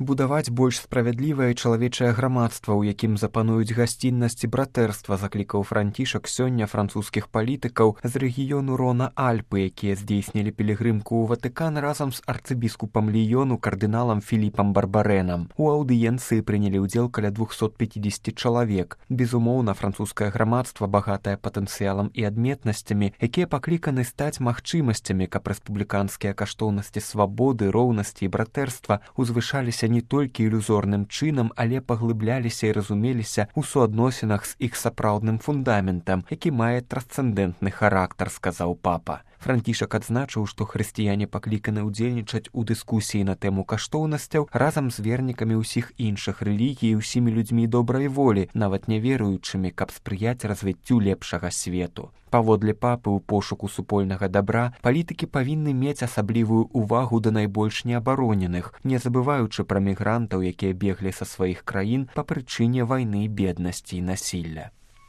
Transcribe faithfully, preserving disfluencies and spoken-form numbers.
Будаваць больш справядлівае чалавечае грамадства, у якім запануюць гасціннасць і братэрства, заклікаў Францішак сёння французскіх палітыкаў з рэгіёну Рона-Альпы, якія здзейснілі пілігрымку ў Ватыкан разам з арцыбіскупам Ліёну кардыналам Філіпам Барбарэнам. У аўдыенцыі прынялі ўдзел каля двухсот пяцідзесяці чалавек. Безумоўна, французскае грамадства багатае патэнцыялам і адметнасцямі, якія пакліканы стаць магчымасцямі, каб рэспубліканскія каштоўнасці свабоды, роўнасці і братэрства узвышаліся не толькі ілюзорным чынам, але паглыбляліся і разумеліся ў суадносінах з іх сапраўдным фундаментам, які мае трансцэндэнтны характар, сказаў папа. Францішак адзначыў, што хрысціяне пакліканы ўдзельнічаць у дыскусіі на тэму каштоўнасцяў разам з вернікамі ўсіх іншых рэлігій і ўсімі людзьмі добрай волі, нават няверуючымі, каб спрыяць развіццю лепшага свету. Паводле папы, у пошуку супольнага дабра палітыкі павінны мець асаблівую ўвагу да найбольш неабароненых, не забываючы пра мігрантаў, якія беглі са сваіх краін па прычыне вайны, беднасці і насілля.